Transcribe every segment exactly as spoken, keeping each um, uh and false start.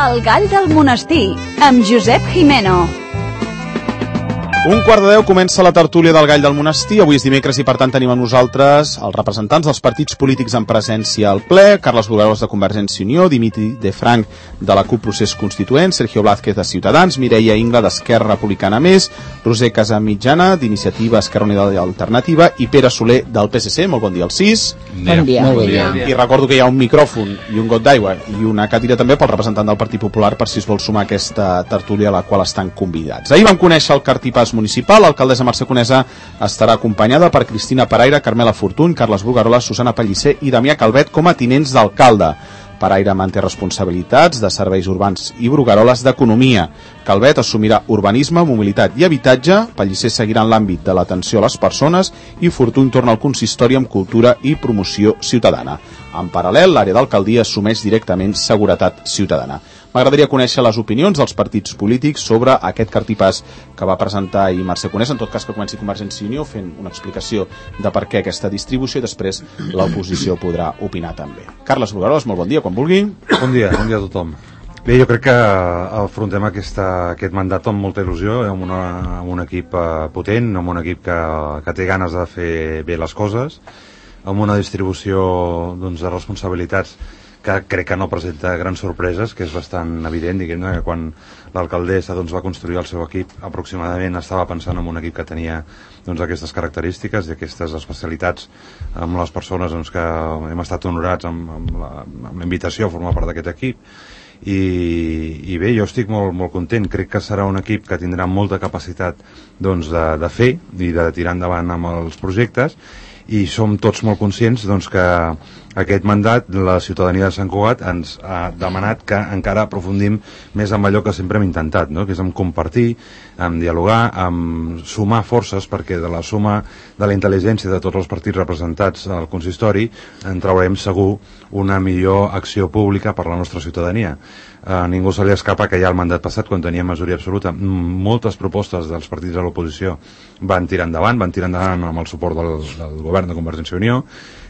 El gall del monestir, amb Josep Jimeno. Un quart de deu comença la tertúlia del Gall del Monestir. Avui és dimecres i per tant tenim amb nosaltres els representants dels partits polítics en presència al ple: Carles Bugaroles de Convergència i Unió, Dimitri de Frank de la CUP Procés Constituent, Sergio Blázquez de Ciutadans, Mireia Ingla d'Esquerra Republicana Més, Roser Casamitjana d'Iniciativa Esquerra Unida i Alternativa i Pere Soler del P S C. Molt bon dia als sis. Bon dia. Molt bon dia. I recordo que hi ha un micròfon i un got d'aigua i una cadira també pel representant del Partit Popular per si es vol sumar a aquesta tertúlia a la qual estan convidats. Ahir vam conèixer el cartipàs municipal. L'alcaldessa Mercè Conesa estarà acompanyada per Cristina Paraire, Carmela Fortuny, Carles Bugaroles, Susana Pellicer i Damià Calvet com a tinents d'alcalde. Paraire manté responsabilitats de serveis urbans i Bugaroles d'economia. Calvet assumirà urbanisme, mobilitat i habitatge, Pellicer seguirà en l'àmbit de l'atenció a les persones i Fortuny torna al consistori amb cultura i promoció ciutadana. En paral·lel, l'àrea d'alcaldia assumeix directament seguretat ciutadana. M'agradaria conèixer les opinions dels partits polítics sobre aquest cartipàs que va presentar ahir Mercè Conesa. En tot cas, que comenci Convergència i Unió fent una explicació de per què aquesta distribució i després l'oposició podrà opinar també. Carles Bugaroles, molt bon dia, quan vulgui. Bon dia, bon dia a tothom. Bé, jo crec que afrontem aquesta, aquest mandat amb molta il·lusió, amb, una, amb un equip potent, amb un equip que, que té ganes de fer bé les coses, amb una distribució doncs, de responsabilitats que crec que no presenta grans sorpreses, que és bastant evident, diguem-ne, que quan l'alcaldessa doncs, va construir el seu equip aproximadament estava pensant en un equip que tenia doncs, aquestes característiques i aquestes especialitats amb les persones doncs, que hem estat honorats amb, amb, la, amb la invitació a formar part d'aquest equip. I, i bé, jo estic molt, molt content. Crec que serà un equip que tindrà molta capacitat doncs, de, de fer i de tirar endavant amb els projectes, i som tots molt conscients doncs, que aquest mandat la ciutadania de Sant Cugat ens ha demanat que encara aprofundim més en allò que sempre hem intentat, no? Que és en compartir, en dialogar, en sumar forces, perquè de la suma de la intel·ligència de tots els partits representats al consistori en traurem segur una millor acció pública per a la nostra ciutadania. A ningú se li escapa que ja el mandat passat, quan tenia majoria absoluta, moltes propostes dels partits de l'oposició van tirar endavant, van tirar endavant amb el suport del, del govern de Convergència i Unió,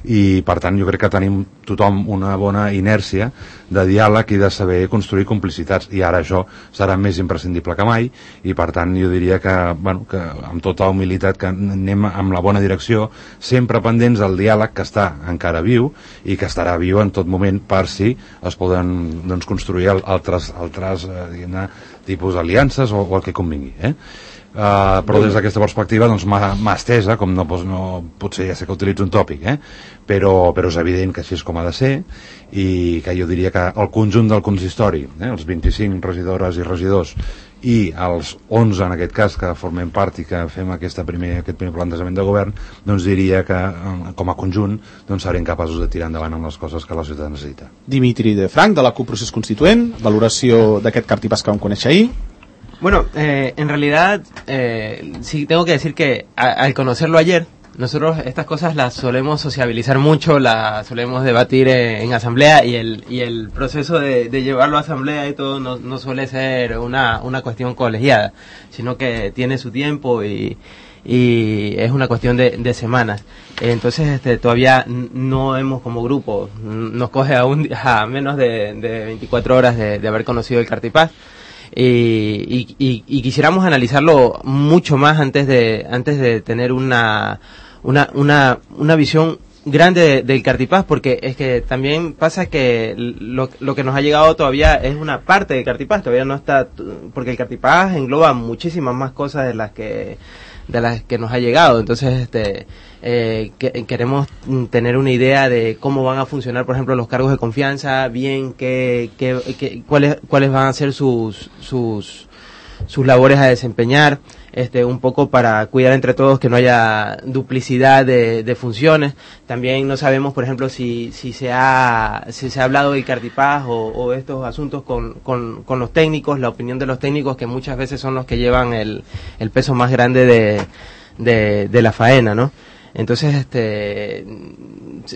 i per tant jo crec que tenim tothom una bona inèrcia de diàleg i de saber construir complicitats, i ara això serà més imprescindible que mai, i per tant jo diria que, bueno, que amb tota humilitat que anem amb la bona direcció, sempre pendents del diàleg que està encara viu i que estarà viu en tot moment per si es poden doncs, construir altres, altres eh, tipus d'aliances o, o el que convingui, eh? Uh, però des d'aquesta perspectiva doncs, mà estesa, com no, no, potser ja sé que utilitzo un tòpic, eh? però, però és evident que així és com ha de ser, i que jo diria que el conjunt del consistori, eh? els vint-i-cinc regidores i regidors i els onze en aquest cas que formem part i que fem aquesta primer, aquest primer plantejament de govern, doncs diria que com a conjunt doncs serem capaços de tirar endavant amb les coses que la ciutat necessita. Dimitri de Frank de la CUP Procés Constituent, valoració d'aquest cartipàs que vam conèixer ahir. Bueno, eh, en realidad, eh, sí tengo que decir que a, al conocerlo ayer, nosotros estas cosas las solemos sociabilizar mucho, las solemos debatir en, en asamblea, y el y el proceso de, de llevarlo a asamblea y todo no, no suele ser una, una cuestión colegiada, sino que tiene su tiempo y, y es una cuestión de, de semanas. Entonces este, todavía no hemos como grupo, nos coge a, un, a menos de, de veinticuatro horas de, de haber conocido el cartipàs. Y, y, y, y quisiéramos analizarlo mucho más antes de antes de tener una una una, una visión grande de, del cartipàs, porque es que también pasa que lo, lo que nos ha llegado todavía es una parte del cartipàs, todavía no está, porque el cartipàs engloba muchísimas más cosas de las que de las que nos ha llegado. Entonces este eh, que, queremos tener una idea de cómo van a funcionar, por ejemplo, los cargos de confianza, bien qué, qué, qué, cuáles cuáles van a ser sus sus sus labores a desempeñar, este un poco para cuidar entre todos que no haya duplicidad de, de funciones. También no sabemos, por ejemplo, si si se ha si se ha hablado del cartipàs o, o estos asuntos con, con con los técnicos, la opinión de los técnicos, que muchas veces son los que llevan el el peso más grande de de, de la faena, ¿no? Entonces, este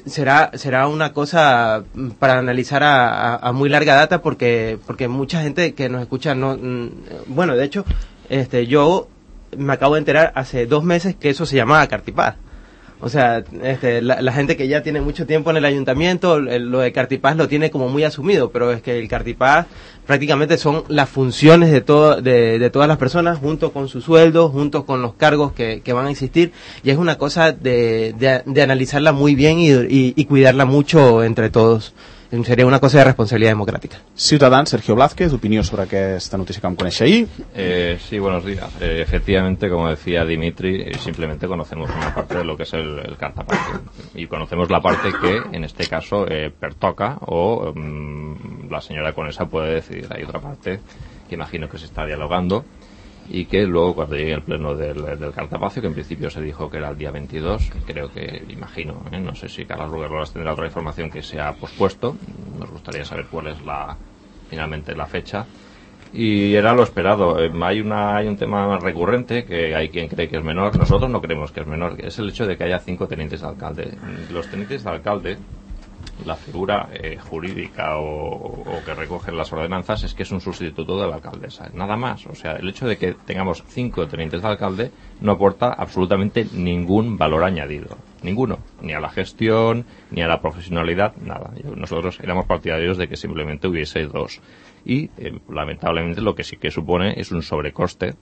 será será una cosa para analizar a, a, a muy larga data, porque porque mucha gente que nos escucha no, bueno, de hecho, este yo me acabo de enterar hace dos meses que eso se llamaba cartipàs. O sea, este, la, la gente que ya tiene mucho tiempo en el ayuntamiento, el, lo de Cartipaz lo tiene como muy asumido, pero es que el Cartipaz prácticamente son las funciones de, todo, de, de todas las personas, junto con su sueldo, junto con los cargos que, que van a existir, y es una cosa de, de, de analizarla muy bien y, y, y cuidarla mucho entre todos. Sería una cosa de responsabilidad democrática. Ciudadans, Sergio Blázquez, opinión sobre esta noticia que vam conèixer ahir. Eh, sí, buenos días. Eh, efectivamente, como decía Dimitri, eh, simplemente conocemos una parte de lo que es el, el cartapacio. Y conocemos la parte que, en este caso, eh, pertoca o um, la señora Conesa puede decidir. Hay otra parte que imagino que se está dialogando y que luego cuando llegue el pleno del, del cartapacio, que en principio se dijo que era el día veintidós, creo que, imagino, ¿eh? no sé si Carlos Ruguerolas tendrá otra información, que se ha pospuesto, nos gustaría saber cuál es la finalmente la fecha, y era lo esperado. Eh, hay una hay un tema recurrente, que hay quien cree que es menor, nosotros no creemos que es menor, es el hecho de que haya cinco tenientes de alcalde. Los tenientes de alcalde, la figura eh, jurídica o, o que recogen las ordenanzas es que es un sustituto de la alcaldesa, nada más. O sea, el hecho de que tengamos cinco tenientes de alcalde no aporta absolutamente ningún valor añadido, ninguno, ni a la gestión, ni a la profesionalidad, nada. Nosotros éramos partidarios de que simplemente hubiese dos y eh, lamentablemente lo que sí que supone es un sobrecoste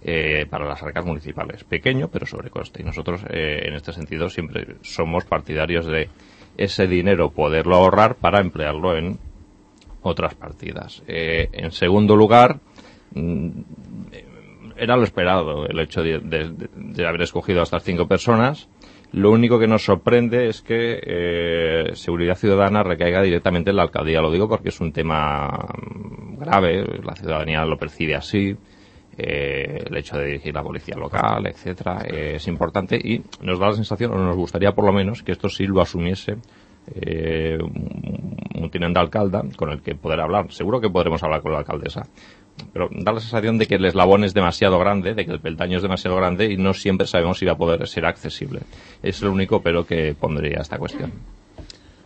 Eh, para las arcas municipales, pequeño pero sobrecoste, y nosotros eh, en este sentido siempre somos partidarios de ese dinero poderlo ahorrar para emplearlo en otras partidas. Eh, en segundo lugar, mm, era lo esperado el hecho de, de, de haber escogido a estas cinco personas. Lo único que nos sorprende es que eh, Seguridad Ciudadana recaiga directamente en la alcaldía. Lo digo porque es un tema grave, la ciudadanía lo percibe así. Eh, el hecho de dirigir la policía local, etcétera, eh, es importante, y nos da la sensación, o nos gustaría por lo menos, que esto sí lo asumiese eh, un, un teniente alcalde con el que poder hablar. Seguro que podremos hablar con la alcaldesa, pero da la sensación de que el eslabón es demasiado grande, de que el peldaño es demasiado grande y no siempre sabemos si va a poder ser accesible. Es lo único pero que pondría esta cuestión.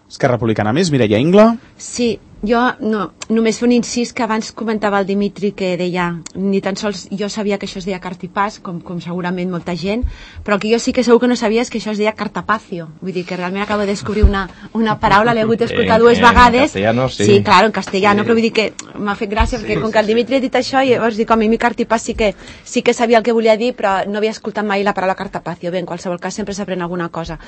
Esquerra Republicana més, Mireia Ingla. Sí, jo no, només fer un incís que abans comentava el Dimitri, que deia, ni tan sols jo sabia que això es deia cartipàs, com, com segurament molta gent, però el que jo sí que segur que no sabia és que això es deia cartapacio. Vull dir que realment acabo de descobrir una, una paraula, l'he hagut d'escoltar dues vegades. En castellano, sí. Sí, claro, en castellano, sí. Però vull dir que m'ha fet gràcia, sí, perquè com sí, que el Dimitri ha dit això, i llavors dic, home, mi cartipàs sí que, sí que sabia el que volia dir, però no havia escoltat mai la paraula cartapacio. Bé, en qualsevol cas sempre s'aprèn alguna cosa.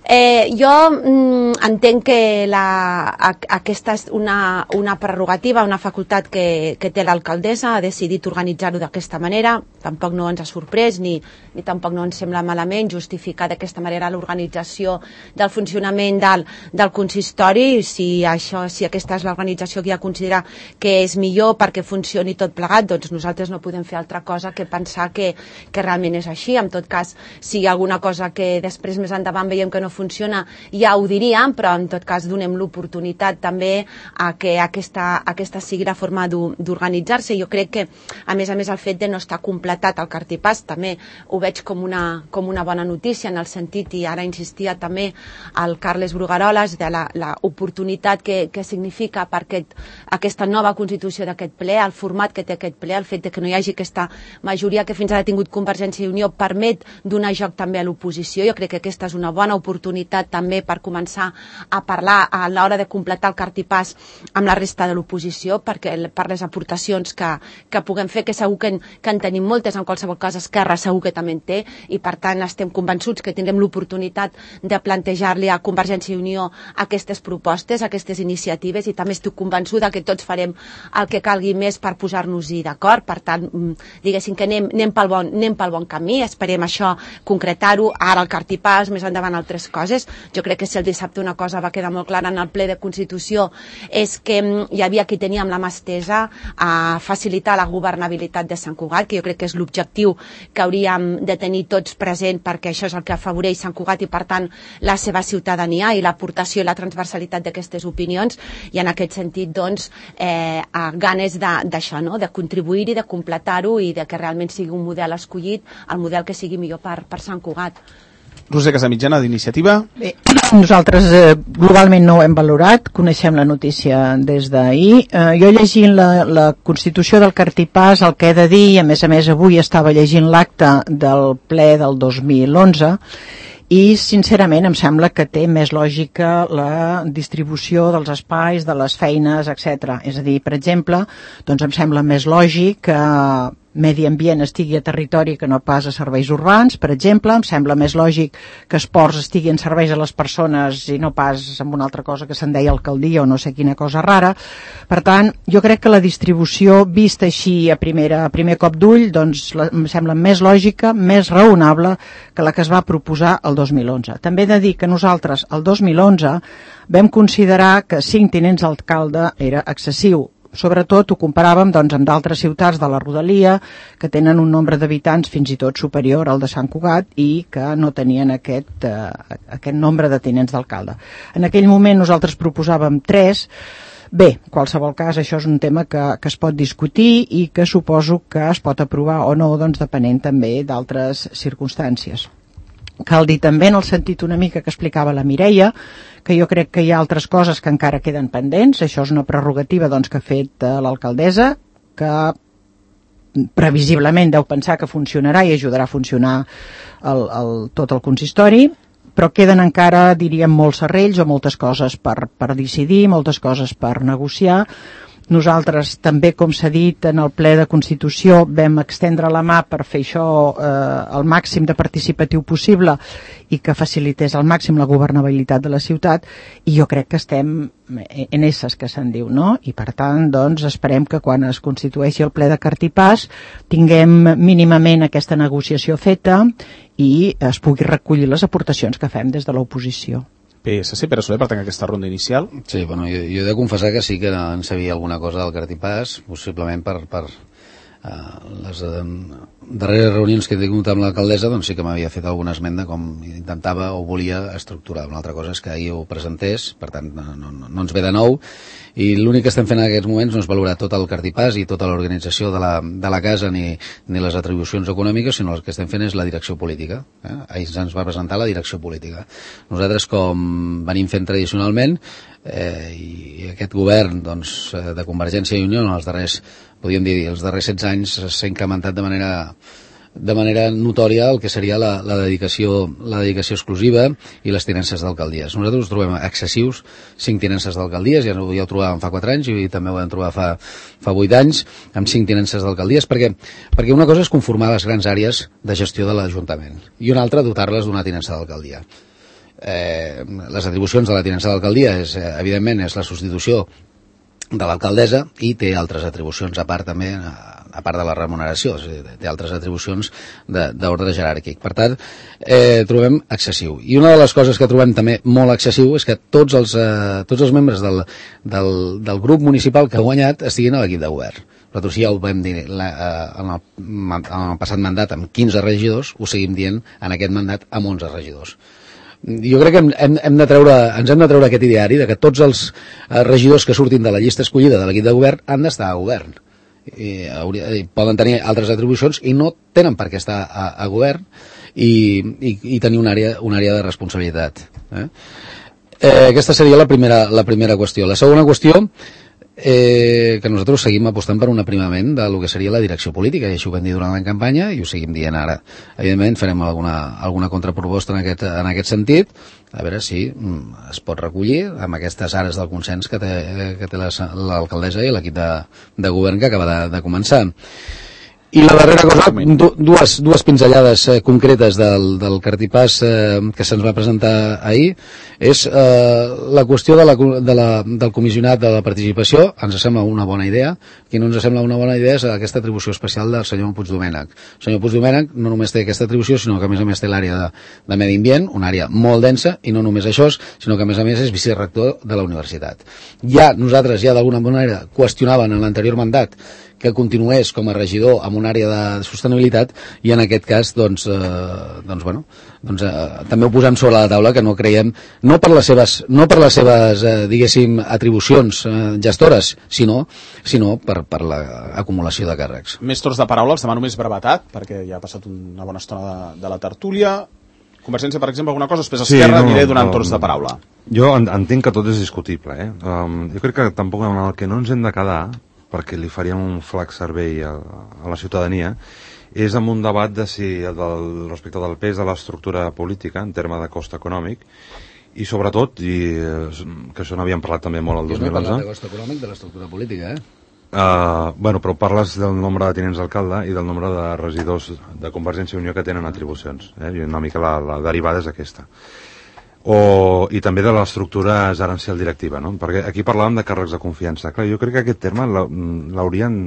Eh, jo mm, entenc que la, a, aquesta és una, una prerrogativa, una facultat que, que té l'alcaldessa, ha decidit organitzar-ho d'aquesta manera, tampoc no ens ha sorprès ni, ni tampoc no ens sembla malament justificar d'aquesta manera l'organització del funcionament del, del consistori, si, això, si aquesta és l'organització que ja considera que és millor perquè funcioni tot plegat, doncs nosaltres no podem fer altra cosa que pensar que, que realment és així. En tot cas, si hi ha alguna cosa que després més endavant veiem que no funciona, ja ho diríem, però en tot cas donem l'oportunitat també a que aquesta, aquesta sigui la forma d'organitzar-se. Jo crec que, a més a més, el fet de no estar completat el cartipàs també ho veig com una, com una bona notícia, en el sentit, i ara insistia també el Carles Bruguerolas, de l'oportunitat que, que significa per aquest, aquesta nova constitució d'aquest ple, el format que té aquest ple, el fet de que no hi hagi aquesta majoria que fins ara ha tingut Convergència i Unió, permet donar joc també a l'oposició. Jo crec que aquesta és una bona oportunitat també per començar a parlar a l'hora de completar el cartipàs amb la resta de l'oposició, perquè per les aportacions que, que puguem fer, que segur que en, que en tenim moltes, en qualsevol cas Esquerra segur que també en té, i per tant estem convençuts que tindrem l'oportunitat de plantejar-li a Convergència i Unió aquestes propostes, aquestes iniciatives, i també estic convençuda que tots farem el que calgui més per posar-nos-hi d'acord. Per tant, diguéssim que anem, anem, pel bon, anem pel bon camí, esperem això concretar-ho, ara el cartipàs, més endavant altres coses. Jo crec que si el dissabte una cosa va quedar molt clara en el ple de Constitució és que hi havia qui tenia amb la mà estesa a facilitar la governabilitat de Sant Cugat, que jo crec que és l'objectiu que hauríem de tenir tots present, perquè això és el que afavoreix Sant Cugat i per tant la seva ciutadania, i l'aportació i la transversalitat d'aquestes opinions, i en aquest sentit doncs eh, ganes d'això, no? De contribuir-hi, de completar-ho i de que realment sigui un model escollit, el model que sigui millor per, per Sant Cugat. Roser Casamitjana, d'Iniciativa. Bé, nosaltres eh, globalment no ho hem valorat, coneixem la notícia des d'ahir. Eh, jo llegint la, la Constitució del Cartipàs, el que he de dir, a més a més avui estava llegint l'acte del ple del dos mil onze, i sincerament em sembla que té més lògica la distribució dels espais, de les feines, etcètera. És a dir, per exemple, doncs em sembla més lògic que medi ambient estigui a territori que no pas a serveis urbans, per exemple. Em sembla més lògic que esports estigui en serveis a les persones i no pas amb una altra cosa que se'n deia alcaldia o no sé quina cosa rara. Per tant, jo crec que la distribució vista així a, primera, a primer cop d'ull doncs, la, em sembla més lògica, més raonable que la que es va proposar el dos mil onze. També he de dir que nosaltres el dos mil onze vam considerar que cinc tinents d'alcalde era excessiu. Sobretot ho comparàvem doncs, amb d'altres ciutats de la rodalia que tenen un nombre d'habitants fins i tot superior al de Sant Cugat i que no tenien aquest, eh, aquest nombre de tinents d'alcalde. En aquell moment nosaltres proposàvem tres. Bé, en qualsevol cas, això és un tema que, que es pot discutir i que suposo que es pot aprovar o no, doncs, depenent també d'altres circumstàncies. Cal dir també, en el sentit una mica que explicava la Mireia, que jo crec que hi ha altres coses que encara queden pendents. Això és una prerrogativa doncs, que ha fet eh, l'alcaldessa, que previsiblement deu pensar que funcionarà i ajudarà a funcionar el, el, tot el consistori, però queden encara, diríem, molts serrells o moltes coses per, per decidir, moltes coses per negociar. Nosaltres també, com s'ha dit, en el ple de Constitució vam extendre la mà per fer això eh, el màxim de participatiu possible i que facilités al màxim la governabilitat de la ciutat, i jo crec que estem en esses, que se'n diu, no? I per tant, doncs, esperem que quan es constitueixi el ple de Cartipàs tinguem mínimament aquesta negociació feta i es pugui recollir les aportacions que fem des de l'oposició. P S C, Pere Soler, per tancar aquesta ronda inicial. Sí, bueno, jo, jo he de confessar que sí que en sabia alguna cosa del Cartipàs, possiblement per, per uh, les uh, darreres reunions que he tingut amb l'alcaldessa, doncs sí que m'havia fet alguna esmena com intentava o volia estructurar. Una altra cosa és que ahir ho presentés, per tant no, no, no ens ve de nou, i l'únic que estem fent en aquests moments no és valorar tot el Cartipàs i tota l'organització de, la, de la casa ni, ni les atribucions econòmiques, sinó el que estem fent és la direcció política. Eh? Ahir ens va presentar la direcció política. Nosaltres, com venim fent tradicionalment, eh, i aquest govern doncs, de Convergència i Unió en els darrers, podríem dir, els darrers setze anys s'ha incrementat de manera de manera notòria el que seria la, la, dedicació, la dedicació exclusiva i les tinences d'alcaldies. Nosaltres ho trobem excessius, cinc tinences d'alcaldies, ja, ja ho trobàvem fa quatre anys i també ho vam trobar fa, fa vuit anys, amb cinc tinences d'alcaldies, perquè, perquè una cosa és conformar les grans àrees de gestió de l'Ajuntament i una altra dotar-les d'una tinença d'alcaldia. Eh, les atribucions de la tinença d'alcaldia és, eh, evidentment, és la substitució de l'alcaldessa i té altres atribucions a part també, a part de la remuneració, té altres atribucions d'ordre jeràrquic. Per tant, eh, trobem excessiu. I una de les coses que trobem també molt excessiu és que tots els, eh, tots els membres del, del, del grup municipal que ha guanyat estiguin a l'equip de govern. Nosaltres ja ho vam dir la, eh, en, el, en el passat mandat amb quinze regidors, ho seguim dient en aquest mandat amb onze regidors. Jo crec que hem, hem de treure, ens hem de treure aquest ideari de que tots els regidors que surtin de la llista escollida de l'equip de govern han d'estar a govern. I, hauria, i poden tenir altres atribucions i no tenen per què estar a, a govern i, i, i tenir una àrea, una àrea de responsabilitat. Eh? Eh, aquesta seria la primera, la primera qüestió. La segona qüestió, eh, que nosaltres seguim apostant per un aprimament de lo que seria la direcció política, i això ho vam dir durant la campanya i ho seguim dient ara. Evidentment farem alguna, alguna contraproposta en aquest, en aquest sentit, a veure si mm, es pot recollir amb aquestes àrees del consens que té, que té l'alcaldessa i l'equip de, de govern que acaba de, de començar. I la darrera cosa, dues, dues pinzellades eh, concretes del, del Cartipàs eh, que se'ns va presentar ahir, és eh, la qüestió de la, de la, del comissionat de la participació. Ens sembla una bona idea. Qui no ens sembla una bona idea és aquesta atribució especial del senyor Puigdomènech. El senyor Puigdomènech no només té aquesta atribució, sinó que a més a més té l'àrea de, de medi ambient, una àrea molt densa, i no només això, sinó que a més a més és vicerector de la universitat. Ja nosaltres ja d'alguna manera qüestionaven en l'anterior mandat que continués com a regidor amb una àrea de sostenibilitat, i en aquest cas doncs, eh, doncs, bueno, doncs, eh, també ho posem sobre la taula, que no creiem, no per les seves, no per les seves eh, diguéssim, atribucions eh, gestores, sinó, sinó per, per l'acumulació de càrrecs. Més torns de paraula, els demano més brevetat, perquè ja ha passat una bona estona de, de la tertúlia. Convergència, per exemple, alguna cosa, després Esquerra, sí, no, aniré donant um, torns de paraula. Jo entenc que tot és discutible, eh? Um, jo crec que tampoc en el que no ens hem de quedar, perquè li faríem un flac servei a, a la ciutadania, és amb un debat de si, del, respecte del pes de l'estructura política en termes de cost econòmic, i sobretot, i que això n'havíem parlat també molt el dos mil onze... Jo no he parlat de cost econòmic de l'estructura política, eh? Uh, bueno, però parles del nombre de tinents d'alcalde i del nombre de regidors de Convergència i Unió que tenen atribucions, eh? I una mica la, la derivada és aquesta. O, i també de l'estructura gerencial directiva, no? Perquè aquí parlàvem de càrrecs de confiança. Clar, jo crec que aquest terme l'haurien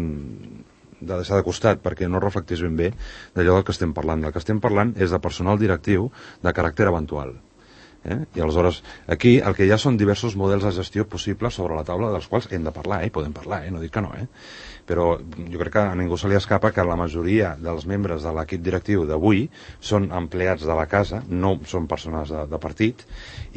de deixar de costat perquè no reflecteix ben bé d'allò del que estem parlant. El que estem parlant és de personal directiu de caràcter eventual. Eh? I aleshores, aquí el que hi ha són diversos models de gestió possibles sobre la taula dels quals hem de parlar, eh? Podem parlar, eh? No dic que no, eh? Però jo crec que a ningú se li escapa que la majoria dels membres de l'equip directiu d'avui són empleats de la casa, no són persones de, de partit,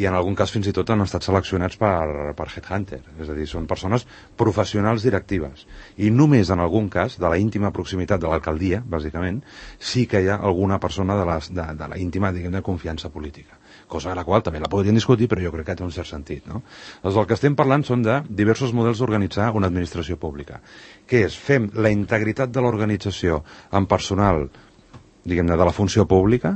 i en algun cas fins i tot han estat seleccionats per, per Headhunter, és a dir, són persones professionals directives, i només en algun cas, de la íntima proximitat de l'alcaldia, bàsicament, sí que hi ha alguna persona de, les, de, de la íntima, diguem, de confiança política, cosa a la qual també la podrien discutir, però jo crec que té un cert sentit, no? Doncs el que estem parlant són de diversos models d'organitzar una administració pública, que és, fem la integritat de l'organització amb personal, diguem-ne, de la funció pública,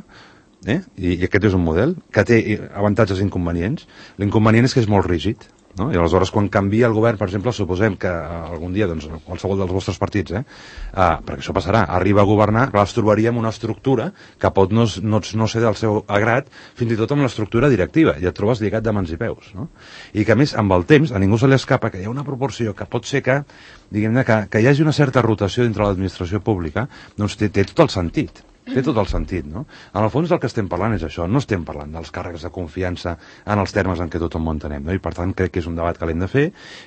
eh? I, i aquest és un model que té avantatges i inconvenients. L'inconvenient és que és molt rígid, no? I aleshores quan canvia el govern, per exemple, suposem que algun dia, doncs, qualsevol dels vostres partits, eh, ah, perquè això passarà, arriba a governar, clar, es trobaria amb una estructura que pot no, no, no ser del seu agrat, fins i tot amb l'estructura directiva, i et trobes lligat de mans i peus, no? I que a més, amb el temps, a ningú se li escapa que hi ha una proporció que pot ser que, diguem-ne, que, que hi hagi una certa rotació dintre l'administració pública, doncs té, té tot el sentit. Té tot el sentit, no? En el fons del que estem parlant és això, no estem parlant dels càrrecs de confiança en els termes en què tothom ho entenem, no? I per tant crec que és un debat que l'hem de fer,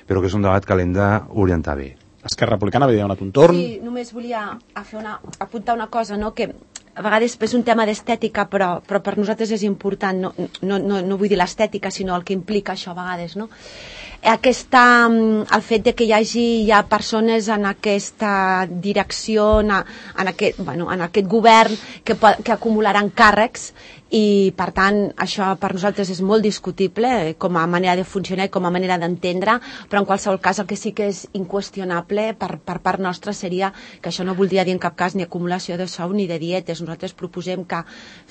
però que és un debat que l'hem d'orientar bé. Esquerra Republicana havia donat un torn. Sí, només volia a fer una, apuntar una cosa, no? Que a vegades és un tema d'estètica, però, però per nosaltres és important, no, no, no, no vull dir l'estètica, sinó el que implica això a vegades, no? Aquesta, el fet de que hi hagi ja persones en aquesta direcció, en, en, aquest, bueno, en aquest govern que, que acumularan càrrecs, i per tant això per nosaltres és molt discutible com a manera de funcionar i com a manera d'entendre, però en qualsevol cas el que sí que és inqüestionable per, per part nostra seria que això no voldria dir en cap cas ni acumulació de sou ni de dietes. Nosaltres proposem que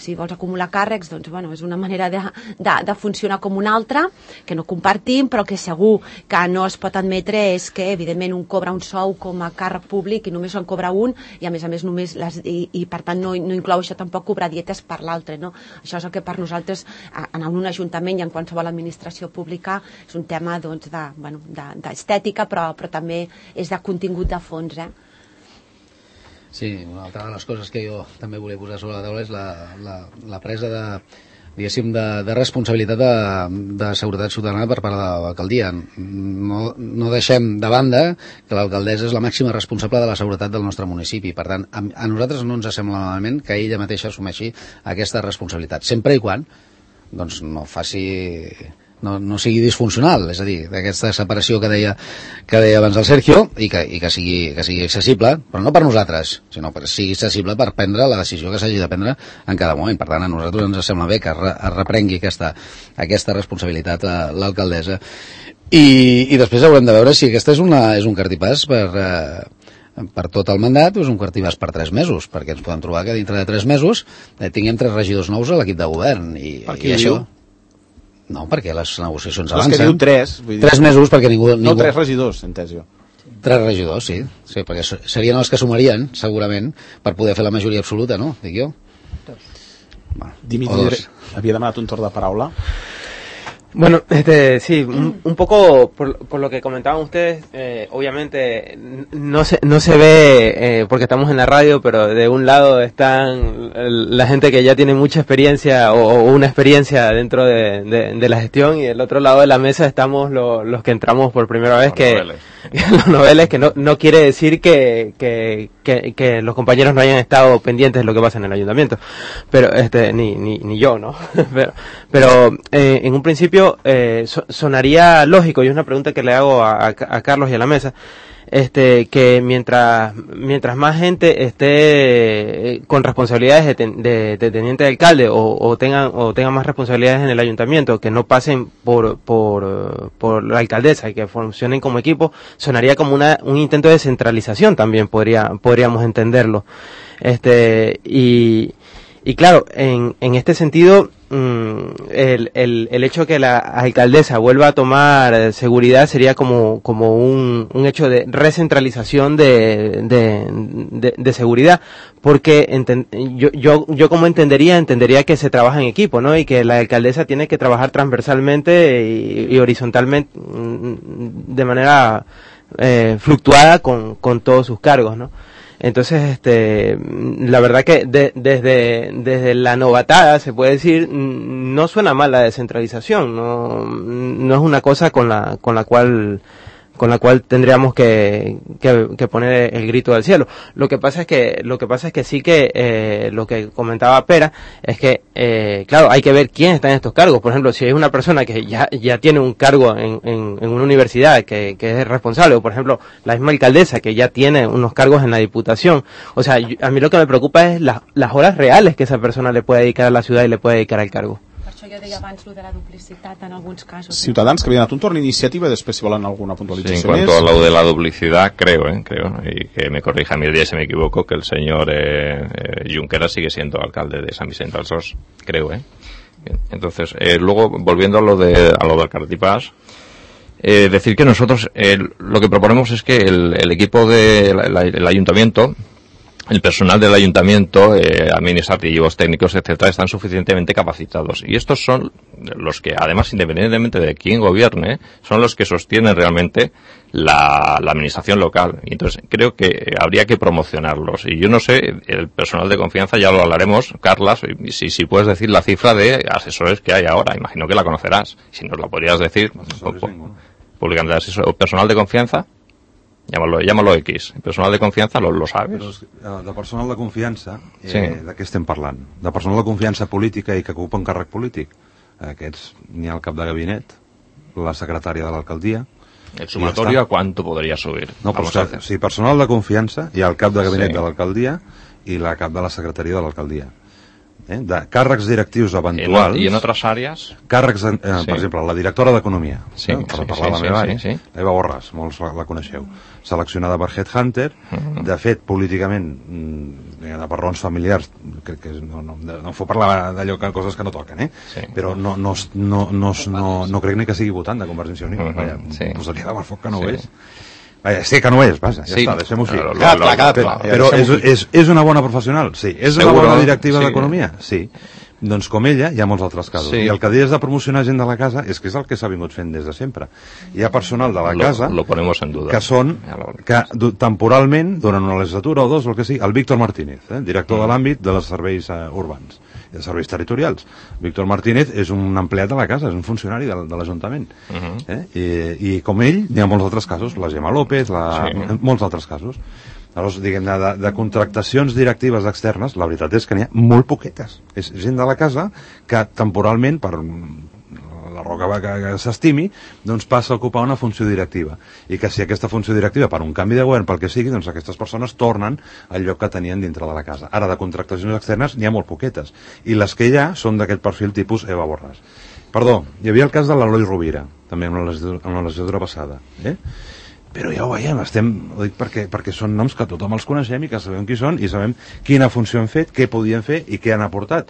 si vols acumular càrrecs, doncs bueno, és una manera de, de, de funcionar com una altra, que no compartim, però que segur que no es pot admetre és que evidentment un cobra un sou com a càrrec públic i només en cobra un, i a més a més només les, i, i per tant no, no inclou això tampoc cobrar dietes per l'altre, no? Això és el que per nosaltres en un ajuntament i en qualsevol administració pública és un tema doncs, de, bueno, de, d'estètica, però, però també és de contingut de fons, eh? Sí, una altra de les coses que jo també volia posar sobre la taula és la, la, la presa de, diguéssim, de, de responsabilitat de, de seguretat ciutadana per part de l'alcaldia. No, no deixem de banda que l'alcaldessa és la màxima responsable de la seguretat del nostre municipi. Per tant, a, a nosaltres no ens sembla malament que ella mateixa assumeixi aquesta responsabilitat, sempre i quan doncs, no faci... No, no sigui disfuncional, és a dir, d'aquesta separació que deia, que deia abans el Sergio, i que, i que, sigui, que sigui accessible, però no per nosaltres, sinó que sigui accessible per prendre la decisió que s'hagi de prendre en cada moment. Per tant, a nosaltres ens sembla bé que es, re, es reprengui aquesta, aquesta responsabilitat a l'alcaldessa. I, I després haurem de veure si aquesta és, una, és un cartipàs per... Eh, per tot el mandat, és un cartipàs per tres mesos, perquè ens podem trobar que dintre de tres mesos eh, tinguem tres regidors nous a l'equip de govern. I, per què i això... diu? No, perquè les negociacions avancen. avancen. És que diu tres. Vull dir... Tres mesos perquè ningú... ningú... No, tres regidors, entès jo. Tres regidors, sí. Sí, perquè serien els que sumarien, segurament, per poder fer la majoria absoluta, no? Dic jo. Bueno, Dimitri havia demanat un torn de paraula. Bueno, este, sí, un, un poco por, por lo que comentaban ustedes, eh, obviamente no se, no se ve eh, porque estamos en la radio, pero de un lado están la gente que ya tiene mucha experiencia o, o una experiencia dentro de, de, de la gestión, y del otro lado de la mesa estamos lo, los que entramos por primera vez, los que noveles. los noveles, que no, no quiere decir que, que, que, que los compañeros no hayan estado pendientes de lo que pasa en el ayuntamiento, pero este ni, ni, ni yo, ¿no? pero pero eh, en un principio Eh, so, sonaría lógico, y es una pregunta que le hago a, a, a Carlos y a la mesa, este, que mientras mientras más gente esté eh, con responsabilidades de, ten, de, de teniente de alcalde o, o tengan o tengan más responsabilidades en el ayuntamiento, que no pasen por por por la alcaldesa y que funcionen como equipo, sonaría como una un intento de centralización también, podría podríamos entenderlo. Este, y, y claro, en, en este sentido, El, el, el hecho que la alcaldesa vuelva a tomar seguridad sería como, como un, un hecho de recentralización de, de, de, de seguridad, porque enten, yo, yo, yo como entendería, entendería que se trabaja en equipo, ¿no? Y que la alcaldesa tiene que trabajar transversalmente y, y horizontalmente, de manera eh, fluctuada con, con todos sus cargos, ¿no? Entonces, este, la verdad que de, desde, desde la novatada, se puede decir, no suena mal la descentralización, no, no es una cosa con la, con la cual, con la cual tendríamos que, que, que poner el grito del cielo. Lo que pasa es que, lo que pasa es que sí que, eh, lo que comentaba Pera, es que, eh, claro, hay que ver quién está en estos cargos. Por ejemplo, si hay una persona que ya, ya tiene un cargo en, en, en una universidad que, que es responsable, o por ejemplo, la misma alcaldesa que ya tiene unos cargos en la diputación. O sea, yo, a mí lo que me preocupa es la, las horas reales que esa persona le puede dedicar a la ciudad y le puede dedicar al cargo. Per això jo deia abans lo de la duplicitat en alguns casos. Ciutadans, que havia donat un torn iniciativa, després si volen alguna puntualització. Sí, en cuanto a lo de la duplicidad, creo, ¿eh? creo, y que me corrija Mirdia si me equivoco, que el señor eh, eh, Junqueras sigue siendo alcalde de San Vicente del Sos, creo, ¿eh? Bien. Entonces, eh, luego, volviendo a lo de a lo del Cartipàs, eh, decir que nosotros eh, lo que proponemos es que el, el equipo del ayuntamiento, el personal del ayuntamiento, eh, administrativos, técnicos, etcétera, están suficientemente capacitados. Y estos son los que, además, independientemente de quién gobierne, son los que sostienen realmente la, la administración local. Y entonces, creo que habría que promocionarlos. Y yo no sé, el personal de confianza, ya lo hablaremos, Carlas, si, si puedes decir la cifra de asesores que hay ahora. Imagino que la conocerás. Si nos la podrías decir, públicamente, asesor, personal de confianza. Llámalo, llámalo X. El personal de confiança lo, lo sabes. Però, de personal de confiança, eh, sí. de què estem parlant? De personal de confiança política i que ocupa un càrrec polític. Aquests n'hi ha el cap de gabinet, la secretària de l'alcaldia. El sumatorio, ¿a cuánto podría subir? No, pues que, sí, personal de confiança, hi ha el cap de gabinet sí. de l'alcaldia i la cap de la secretaria de l'alcaldia. Eh? De càrrecs directius eventuals... I en altres àrees? Càrrecs, eh, sí. per exemple, la directora d'Economia, sí, eh? per sí, parlar sí, la meva àrea, sí, sí. l'Eva Borràs, molts la, la coneixeu, seleccionada per Headhunter, uh -huh. de fet, políticament, mm, per raons familiars, crec que no, no, no fos parlar d'allò que coses que no toquen, eh? Sí. Però no, no, no, no, no, no crec ni que sigui votant de Convergència i Unió, uh -huh. Vaja, sí. posaria de foc que no sí. ho és. Vaja, sé que no és, vaja, ja sí. està, deixem-ho així. Cada clar, cada clar. Però és, és, és una bona professional? Sí. És Seguro, una bona directiva sí. d'Economia? Sí. Doncs com ella, hi ha molts altres casos. Sí. I el que deies de promocionar gent de la casa és que és el que s'ha vingut fent des de sempre. Hi ha personal de la lo, casa lo ponemos en duda. que són, que temporalment, durant una legislatura o dos, o el que sigui, el Víctor Martínez, eh, director mm. de l'àmbit dels serveis uh, urbans, de serveis territorials. Víctor Martínez és un empleat de la casa, és un funcionari de, de l'Ajuntament. Mm -hmm. eh? I, I com ell, n'hi ha molts altres casos, la Gemma López, la, sí. molts altres casos. Llavors, diguem, de, de contractacions directives externes, la veritat és que n'hi ha molt poquetes. És gent de la casa que temporalment, per la roca que, que s'estimi, doncs passa a ocupar una funció directiva. I que si aquesta funció directiva, per un canvi de govern, pel que sigui, doncs aquestes persones tornen al lloc que tenien dintre de la casa. Ara, de contractacions externes n'hi ha molt poquetes. I les que hi ha són d'aquest perfil tipus Eva Borràs. Perdó, hi havia el cas de l'Eloi Rovira, també en la legislatura, en la legislatura passada, eh? Però ja ho veiem, estem, ho dic perquè, perquè són noms que tothom els coneixem i que sabem qui són i sabem quina funció han fet, què podien fer i què han aportat.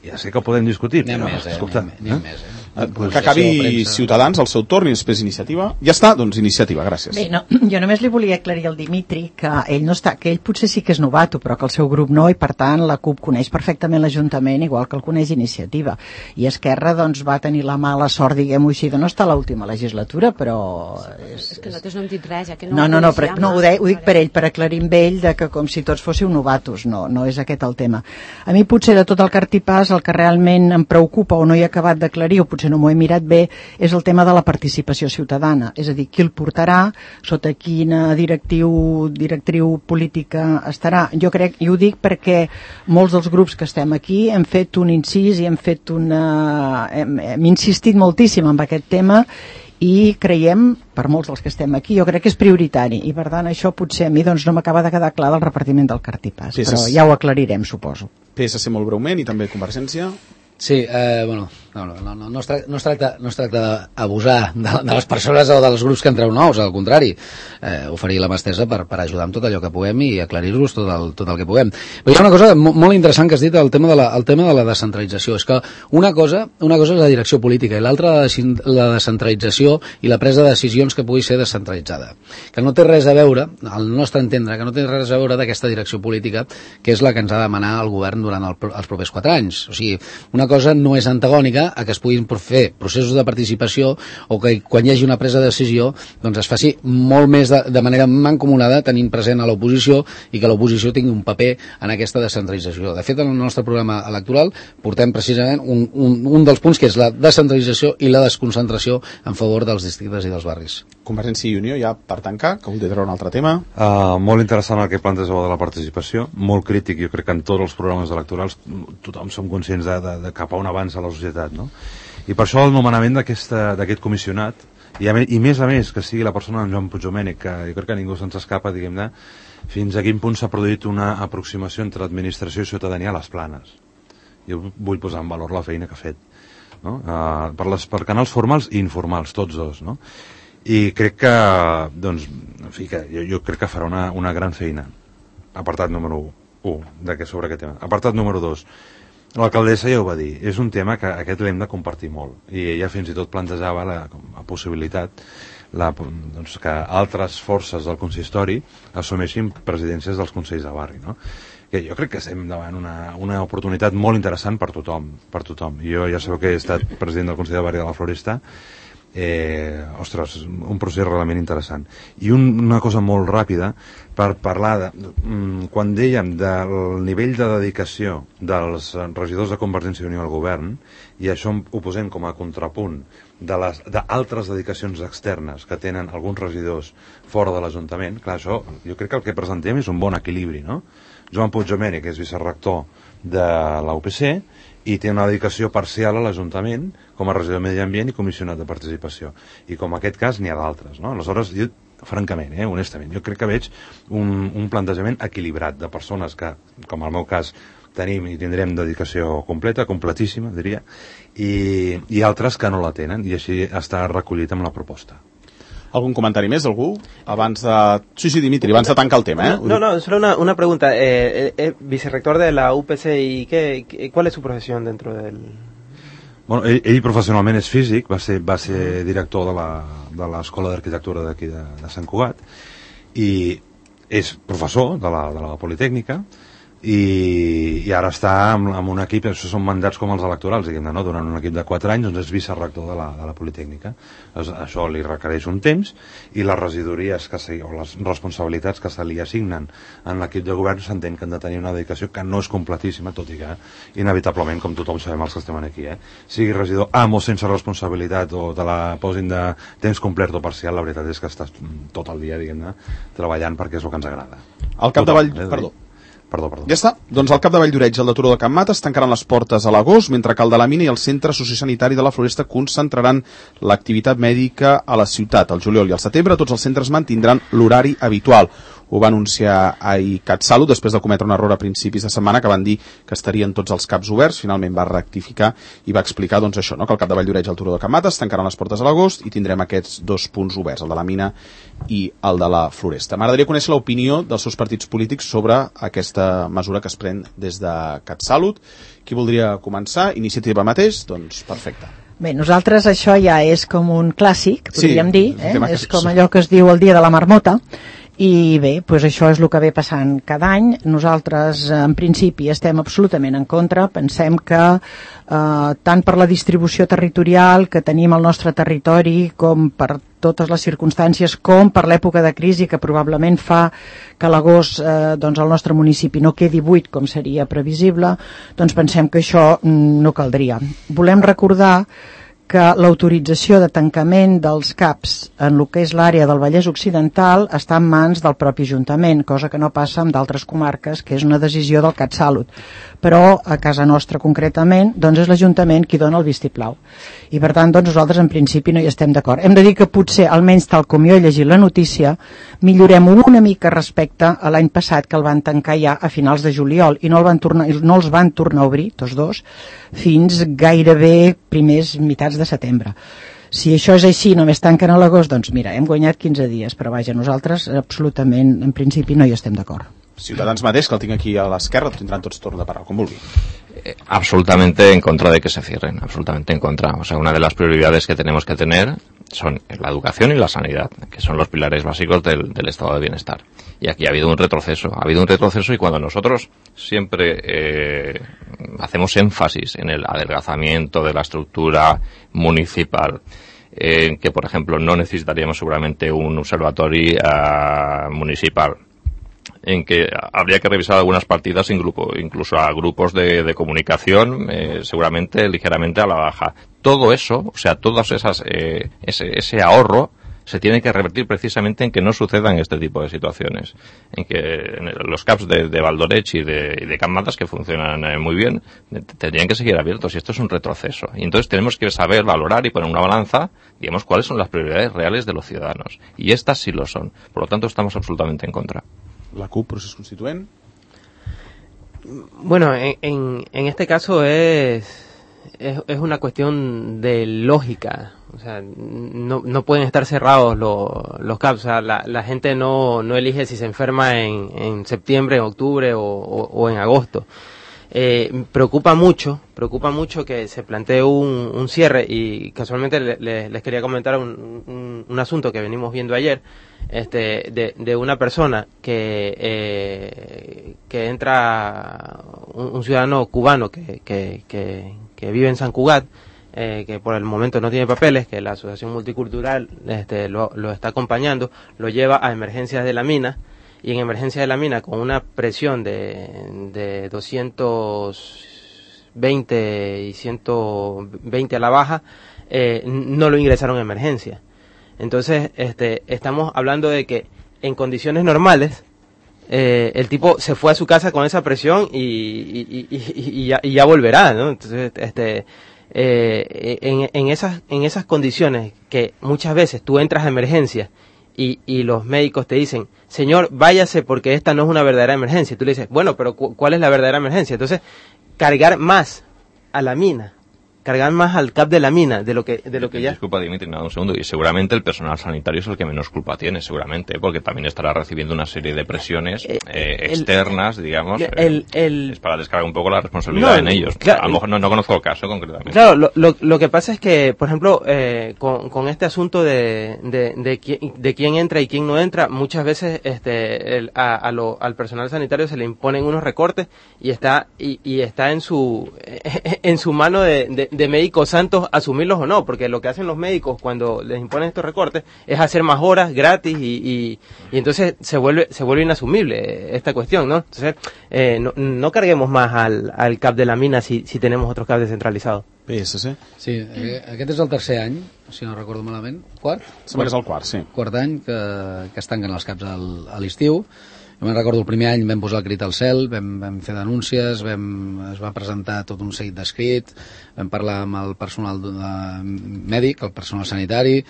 Ja sé que ho podem discutir, però, més, eh? escolta... Anem, anem eh? més, eh? Eh, pues que acabi Ciutadans al seu torn i després Iniciativa. Ja està, doncs Iniciativa, gràcies. Bé, no, jo només li volia aclarir al Dimitri que ell no està, que ell potser sí que és novato, però que el seu grup no, i per tant la CUP coneix perfectament l'Ajuntament, igual que el coneix Iniciativa. I Esquerra doncs va tenir la mala sort, diguem-ho així, de no estar a l'última legislatura, però... És, és que nosaltres no hem dit res, ja que no... No, no, no, però, no ho, de, ho dic per ell, per aclarir amb ell de que com si tots fóssiu novatos, no, no és aquest el tema. A mi potser de tot el cartipàs el que realment em preocupa o no he acabat d'aclarir, o potser no m'ho he mirat bé, és el tema de la participació ciutadana, és a dir, qui el portarà, sota quina directiu, directriu política estarà. Jo crec, i ho dic perquè molts dels grups que estem aquí hem fet un incís i hem fet una... hem, hem insistit moltíssim en aquest tema i creiem, per molts dels que estem aquí, jo crec que és prioritari i per tant això potser a mi doncs, no m'acaba de quedar clar del repartiment del cartipàs, però ja ho aclarirem, suposo. P S C molt breument i també Convergència. Sí, eh, bueno, No, no, no, no, no, es tracta, no, es tracta, no es tracta d'abusar de, de les persones o dels grups que entreu nous, al contrari, eh, oferir la mà estesa per, per ajudar amb tot allò que puguem i aclarir-los tot, el, tot el que puguem. Però hi ha una cosa molt interessant que has dit, el tema de la, el tema de la descentralització. És que una cosa, una cosa és la direcció política i l'altra la descentralització i la presa de decisions que pugui ser descentralitzada. Que no té res a veure, al nostre entendre, que no té res a veure d'aquesta direcció política que és la que ens ha de demanar el govern durant el, els propers quatre anys. O sigui, una cosa no és antagònica a que es puguin fer processos de participació o que quan hi hagi una presa de decisió doncs es faci molt més de, de manera mancomunada tenint present a l'oposició i que l'oposició tingui un paper en aquesta descentralització. De fet, en el nostre programa electoral portem precisament un, un, un dels punts que és la descentralització i la desconcentració en favor dels districtes i dels barris. Convergència i Unió, ja per tancar, que voldria treure un altre tema. Uh, molt interessant el que plantegeu de la participació, molt crític, jo crec que en tots els programes electorals tothom som conscients de, de, de cap a on avança la societat, no? I per això el nomenament d'aquest comissionat, i, a, i més a més que sigui la persona en Joan Puigdomènech, que jo crec que ningú se'ns escapa, diguem-ne, fins a quin punt s'ha produït una aproximació entre administració i ciutadania a les Planes. Jo vull posar en valor la feina que ha fet, no? Uh, per, les, per canals formals i informals, tots dos, no? I crec que, doncs, en fi, que jo, jo crec que farà una, una gran feina. Apartat número un, sobre aquest tema. Apartat número dos, l'alcaldessa ja ho va dir, és un tema que aquest l'hem de compartir molt, i ella fins i tot plantejava la, la possibilitat la, doncs, que altres forces del consistori assumeixin presidències dels consells de barri, no? Que jo crec que estem davant una, una oportunitat molt interessant per tothom, per tothom. Jo ja sabeu que he estat president del Consell de Barri de la Floresta. Eh, ostres, un procés realment interessant. I un, una cosa molt ràpida per parlar de, mm, quan dèiem del nivell de dedicació dels regidors de Convergència i Unió al govern, i això ho posem com a contrapunt de les d'altres dedicacions externes que tenen alguns regidors fora de l'Ajuntament, clar, això jo crec que el que presentem és un bon equilibri, no? Joan Puigdomènech és vicerector de la U P C i té una dedicació parcial a l'Ajuntament com a regidor de Medi Ambient i comissionat de participació. I com en aquest cas n'hi ha d'altres, no? Aleshores, jo, francament, eh, honestament, jo crec que veig un, un plantejament equilibrat de persones que, com en el meu cas, tenim i tindrem dedicació completa, completíssima, diria, i, i altres que no la tenen, i així està recollit amb la proposta. ¿Algún comentario más, algú? Abans de... Sí, sí, Dimitri, abans de tancar el tema, ¿eh? No, no, solo una, una pregunta. Eh, eh, vicerrector de la U P C, ¿y qué, qué, cuál es su profesión dentro del...? Bueno, ell, ell professionalment és físic, va ser, va ser director de l'Escola d'Arquitectura d'aquí de, de Sant Cugat, i és professor de la, de la Politècnica, i, i ara està amb, amb un equip, això són mandats com els electorals, diguem-ne, no? Durant un equip de quatre anys doncs és vicerector de la, de la Politècnica. Doncs això li requereix un temps, i les regidories que se, o les responsabilitats que se li assignen en l'equip de govern s'entén que han de tenir una dedicació que no és completíssima, tot i que inevitablement, com tothom sabem els que estem aquí, eh? Sigui regidor amb o sense responsabilitat o te la posin de temps complet o parcial, la veritat és que estàs tot el dia, diguem-ne, treballant perquè és el que ens agrada. Al capdavall, eh? Perdó. Perdó, perdó. Ja està. Doncs al Cap de Valldoreix i el de Turó de Can Mates tancaran les portes a l'agost, mentre que el de la Mina i el Centre Sociosanitari de la Floresta concentraran l'activitat mèdica a la ciutat. Al juliol i al setembre tots els centres mantindran l'horari habitual. Ho va anunciar ahir CatSalut després de cometre un error a principis de setmana que van dir que estarien tots els caps oberts. Finalment va rectificar i va explicar doncs això, no? Que el Cap de Valldoreix i el Turó de Can Mates tancaran les portes a l'agost i tindrem aquests dos punts oberts, el de la Mina i el de la Floresta. M'agradaria conèixer l'opinió dels seus partits polítics sobre aquesta mesura que es pren des de CatSalut. Qui voldria començar? Iniciativa mateix? Doncs perfecte. Bé, nosaltres això ja és com un clàssic, podríem sí, dir, eh? És com allò que es diu el dia de la marmota, i bé, doncs això és el que ve passant cada any. Nosaltres, en principi, estem absolutament en contra. Pensem que eh, tant per la distribució territorial que tenim al nostre territori, com per totes les circumstàncies, com per l'època de crisi que probablement fa que a l'agost eh, doncs el nostre municipi no quedi buit com seria previsible, doncs pensem que això no caldria. Volem recordar que l'autorització de tancament dels CAPs en el que és l'àrea del Vallès Occidental està en mans del propi Ajuntament, cosa que no passa en d'altres comarques, que és una decisió del CatSalut. però a casa nostra concretament doncs és l'Ajuntament qui dona el vistiplau. I per tant doncs, nosaltres en principi no hi estem d'acord. Hem de dir que potser, almenys tal com jo he llegit la notícia, millorem una mica respecte a l'any passat, que el van tancar ja a finals de juliol i no, el van tornar, no els van tornar a obrir, tots dos, fins gairebé primers mitats de setembre. Si això és així, només tanquen a l'agost, doncs mira, hem guanyat quinze dies, però vaja, nosaltres absolutament, en principi, no hi estem d'acord. Ciutadans mateix, que el tinc aquí a l'esquerra, tindran tots torn de parlar, com vulgui. Eh, absolutamente en contra de que se cierren, absolutamente en contra. O sea, una de las prioridades que tenemos que tener son la educación y la sanidad, que son los pilares básicos del, del estado de bienestar. Y aquí ha habido un retroceso, ha habido un retroceso y cuando nosotros siempre eh, hacemos énfasis en el adelgazamiento de la estructura municipal, en eh, que por ejemplo no necesitaríamos seguramente un observatorio uh, municipal, en que habría que revisar algunas partidas en grupo, incluso a grupos de, de comunicación, eh, seguramente ligeramente a la baja. Todo eso, o sea, todas esas, eh, ese, ese ahorro se tiene que revertir precisamente en que no sucedan este tipo de situaciones, en que en los C A Ps de, de Valdorech y de, y de Can Matas, que funcionan eh, muy bien, tendrían que seguir abiertos, y esto es un retroceso. Y entonces tenemos que saber valorar y poner una balanza, digamos, cuáles son las prioridades reales de los ciudadanos. Y estas sí lo son. Por lo tanto, estamos absolutamente en contra. La C U P, procés constituent? Bueno, en, en, en este caso es, es, es una cuestión de lógica. O sea, no, no pueden estar cerrados los, los C A Ps. O sea, la, la gente no, no elige si se enferma en, en septiembre, en octubre o, o, o en agosto. Eh, preocupa mucho, preocupa mucho que se plantee un, un cierre, y casualmente le, le, les quería comentar un, un, un asunto que venimos viendo ayer, este, de, de una persona que, eh, que entra, un, un ciudadano cubano que, que, que, que vive en San Cugat, eh, que por el momento no tiene papeles, que la Asociación Multicultural este, lo, lo está acompañando, lo lleva a emergencias de la mina, y en emergencia de la mina, con una presión de, de doscientos veinte y ciento veinte a la baja, eh, no lo ingresaron a emergencia. Entonces, este, estamos hablando de que en condiciones normales, eh, el tipo se fue a su casa con esa presión y, y, y, y, y, ya, y ya volverá, ¿no? Entonces, este, eh, en, en esas, en esas condiciones que muchas veces tú entras a emergencia Y, y los médicos te dicen, señor, váyase porque esta no es una verdadera emergencia. Tú le dices, bueno, pero cu ¿cuál es la verdadera emergencia? Entonces, cargar más a la mina, cargar más al C A P de la mina de lo que de lo que ya... Disculpa, Dimitri, nada, un segundo. Y seguramente el personal sanitario es el que menos culpa tiene, seguramente, porque también estará recibiendo una serie de presiones eh, eh, externas, el, digamos. El, eh, el, es para descargar un poco la responsabilidad no, en ellos. Claro, a lo mejor no, no conozco el caso concretamente. Claro, lo, lo, lo que pasa es que, por ejemplo, eh, con, con este asunto de, de, de, qui de quién entra y quién no entra, muchas veces este, el, a, a lo, al personal sanitario se le imponen unos recortes y está y, y está en su en su mano de, de, de médicos santos asumirlos o no, porque lo que hacen los médicos cuando les imponen estos recortes es hacer más horas gratis y, y, y entonces se vuelve se vuelve inasumible esta cuestión, ¿no? Entonces eh, no, no carguemos más al, al C A P de la mina si, si tenemos otros C A P descentralizados. P S C? Sí, eh, aquest és el tercer any, si no recordo malament. Quart? Sembla que és el quart, sí. Quart any que, que es tanquen els C A Ps al, a l'estiu. Jo me'n recordo el primer any vam posar el crit al cel, vam, vam fer denúncies, vam, es va presentar tot un seguit d'escrit, vam parlar amb el personal de, mèdic, el personal sanitari,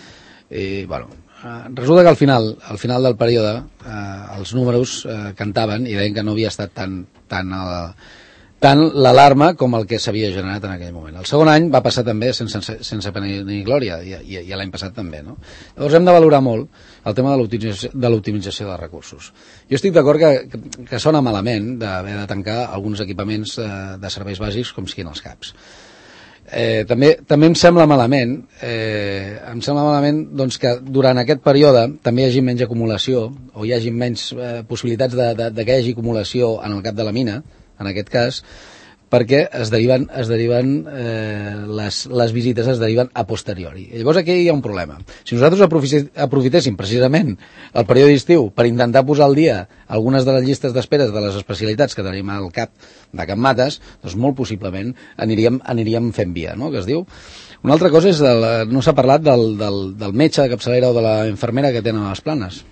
i bueno, eh, resulta que al final, al final del període eh, els números eh, cantaven i deien que no havia estat tan, tan, eh, tant l'alarma com el que s'havia generat en aquell moment. El segon any va passar també sense, sense pena ni glòria, i, i, i l'any passat també, no? Llavors hem de valorar molt el tema de l'optimització de recursos. Jo estic d'acord que, que, que sona malament d'haver de tancar alguns equipaments de, de serveis bàsics com siguin els C A Ps. Eh, també, també em sembla malament eh, em sembla malament doncs, que durant aquest període també hi hagi menys acumulació o hi hagi menys eh, possibilitats de, de, de que hi hagi acumulació en el cap de la mina, en aquest cas, perquè es deriven, es deriven eh, les, les visites es deriven a posteriori. I llavors aquí hi ha un problema. Si nosaltres aprofitéssim precisament el període d'estiu per intentar posar al dia algunes de les llistes d'espera de les especialitats que tenim al cap de Can Matas, doncs molt possiblement aniríem, aniríem fent via, no?, que es diu. Una altra cosa és, el, no s'ha parlat del, del, del metge de capçalera o de la infermera que tenen a les Planes.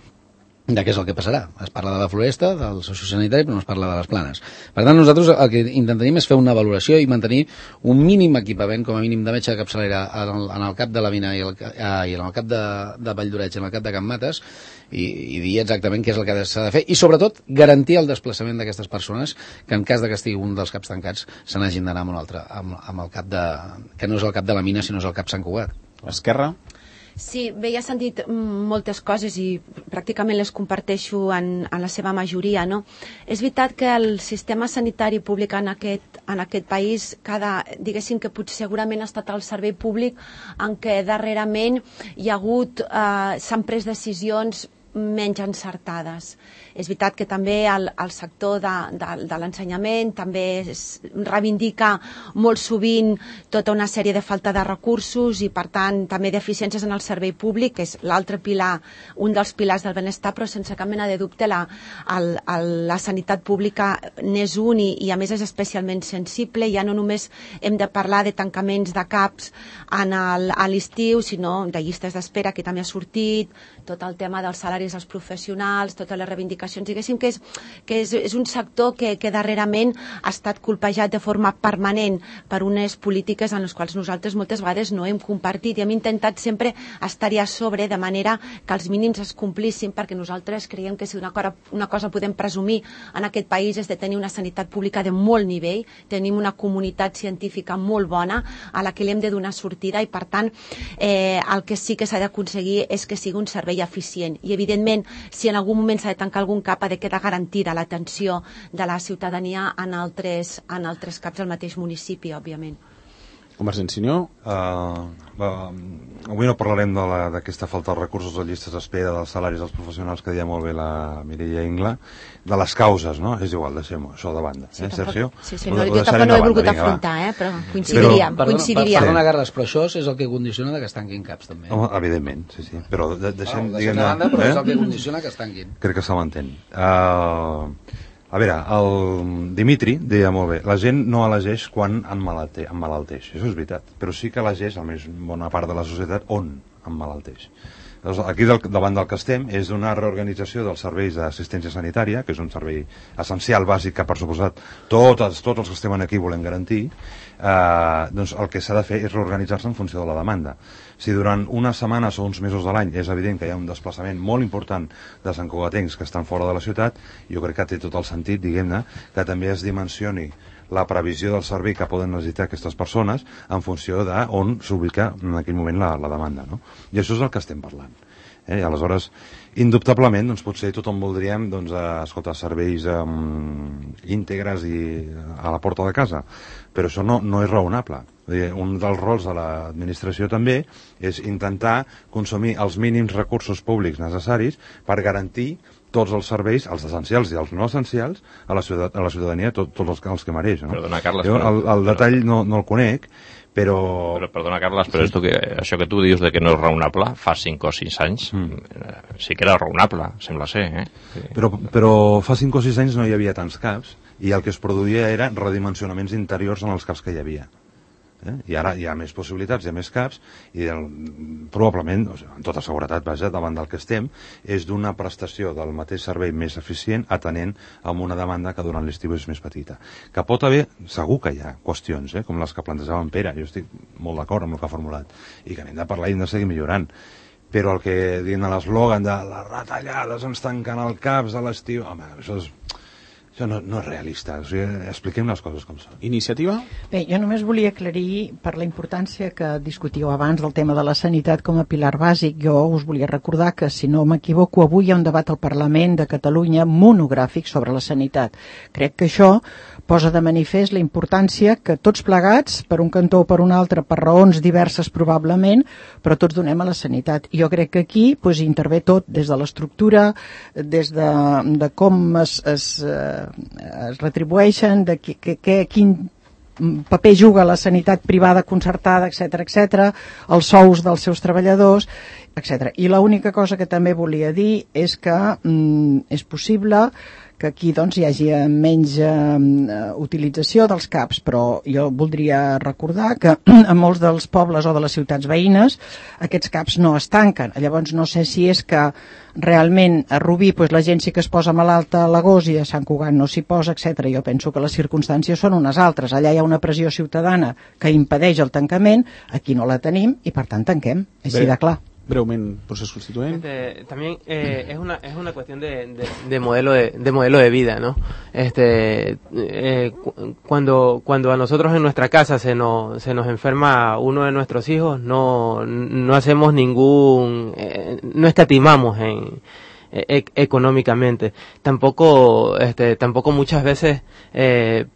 de què és el que passarà. Es parla de la floresta, del sociosanitari, però no es parla de les planes. Per tant, nosaltres el que intentarem és fer una valoració i mantenir un mínim equipament, com a mínim de metge de capçalera en el, en el cap de la Mina i, el, i en el cap de, de Valldoreix i en el cap de Can Mates, i, i dir exactament què és el que s'ha de fer, i sobretot garantir el desplaçament d'aquestes persones que en cas de que estigui un dels caps tancats se n'hagin d'anar amb un altre, amb, amb el cap de, que no és el cap de la Mina sinó és el cap Sant Cugat. Esquerra? Sí, bé, ja s'han dit moltes coses i pràcticament les comparteixo en, en la seva majoria, no? És veritat que el sistema sanitari públic en aquest, en aquest país, cada, diguéssim que potser segurament ha estat el servei públic en què darrerament hi ha hagut, eh, s'han pres decisions menys encertades. És veritat que també el, el sector de, de, de l'ensenyament també es reivindica molt sovint tota una sèrie de falta de recursos i, per tant, també deficiències en el servei públic, que és l'altre pilar, un dels pilars del benestar, però sense cap mena de dubte la, el, el, la sanitat pública n'és un i, i, a més, és especialment sensible. Ja no només hem de parlar de tancaments de CAPs en el, a l'estiu, sinó de llistes d'espera, que també ha sortit, tot el tema dels salaris als professionals, totes les reivindicacions, diguéssim que és, que és, és un sector que, que darrerament ha estat colpejat de forma permanent per unes polítiques en les quals nosaltres moltes vegades no hem compartit i hem intentat sempre estar-hi a sobre de manera que els mínims es complissin, perquè nosaltres creiem que si una cosa, una cosa podem presumir en aquest país és de tenir una sanitat pública de molt nivell, tenim una comunitat científica molt bona a la que li hem de donar sortida i, per tant, eh, el que sí que s'ha d'aconseguir és que sigui un servei eficient i, evidentment, si en algun moment s'ha de tancar algun cap ha de quedar garantida l'atenció de la ciutadania en altres, en altres caps del mateix municipi, òbviament. Convergència i Unió? Uh, uh, avui no parlarem d'aquesta falta de recursos, de llistes d'espera, dels salaris dels professionals, que deia molt bé la Mireia Ingla, de les causes, no? És igual, deixem-ho, això de banda. Sí, eh, tampoc, Sergio? Sí, sí, no, jo tampoc no he volgut afrontar, eh, però coincidiríem. Però, coincidiríem. Perdona, Carles, però això és el que condiciona que es tanquin caps, també. Home, evidentment, sí, sí. Però de, deixem... No, deixem de banda, però eh? és el que condiciona que es tanquin. Crec que se m'entén. Uh, a veure, el Dimitri deia molt bé, la gent no elegeix quan emmalalteix, això és veritat, però sí que elegeix, almenys bona part de la societat, on emmalalteix. Aquí del, davant del que estem és una reorganització dels serveis d'assistència sanitària, que és un servei essencial, bàsic, que per suposat tots, tots els que estem aquí volem garantir. Eh, doncs el que s'ha de fer és reorganitzar-se en funció de la demanda. Si durant unes setmanes o uns mesos de l'any és evident que hi ha un desplaçament molt important de santcugatencs que estan fora de la ciutat, jo crec que té tot el sentit, diguem-ne, que també es dimensioni la previsió del servei que poden necessitar aquestes persones en funció d'on s'ubica en aquell moment la, la demanda, no? I això és el que estem parlant. Eh? I aleshores, indubtablement, doncs, potser tothom voldríem doncs, eh, escoltar, serveis eh, íntegres i a la porta de casa, però això no, no és raonable. Dir, un dels rols de l'administració també és intentar consumir els mínims recursos públics necessaris per garantir tots els serveis, els essencials i els no essencials, a la, ciutat, a la ciutadania, tots tot els, els que mereix. No? Perdona, Carles, jo el, el detall no, no el conec, però... però perdona, Carles, però sí. que, això que tu dius de que no és raonable, fa cinc o sis anys, mm. sí que era raonable, sembla ser. Eh? Sí. Però, però fa cinc o sis anys no hi havia tants caps i el que es produïa eren redimensionaments interiors en els caps que hi havia. Eh? I ara hi ha més possibilitats, hi ha més caps i el, probablement, o sigui, amb tota seguretat, vaja, davant del que estem, és d'una prestació del mateix servei més eficient atenent a una demanda que durant l'estiu és més petita. Que pot haver, segur que hi ha qüestions, eh? com les que plantejava en Pere, jo estic molt d'acord amb el que ha formulat, i que n'hem de parlar i hem de seguir millorant. Però el que diuen a l'eslògan de les retallades ens tanquen el CAPS a l'estiu, home, això és... Això no, no és realista, o sigui, expliquem les coses com són. Iniciativa? Bé, jo només volia aclarir per la importància que discutíeu abans del tema de la sanitat com a pilar bàsic. Jo us volia recordar que, si no m'equivoco, avui hi ha un debat al Parlament de Catalunya monogràfic sobre la sanitat. Crec que això posa de manifest la importància que tots plegats, per un cantó o per un altre, per raons diverses probablement, però tots donem a la sanitat. I jo crec que aquí doncs, intervé tot, des de l'estructura, des de, de com es... es es retribueixen, de que, que, que, quin paper juga la sanitat privada concertada, etcètera, etcètera, els sous dels seus treballadors, etcètera. I l'única cosa que també volia dir és que mm, és possible que aquí doncs, hi hagi menys eh, utilització dels CAPs, però jo voldria recordar que a molts dels pobles o de les ciutats veïnes aquests CAPs no es tanquen. Llavors no sé si és que realment a Rubí pues, la gent sí que es posa malalta a l'agost i a Sant Cugat no s'hi posa, etcètera. Jo penso que les circumstàncies són unes altres. Allà hi ha una pressió ciutadana que impedeix el tancament, aquí no la tenim i per tant tanquem, així de clar. Breument, procés constituent. Este, también eh, es una es una cuestión de, de, de modelo de, de modelo de vida, ¿no? Este eh, cu cuando cuando a nosotros en nuestra casa se nos se nos enferma uno de nuestros hijos, no no hacemos ningún eh, no escatimamos en E económicamente. Tampoco, este, tampoco muchas veces eh,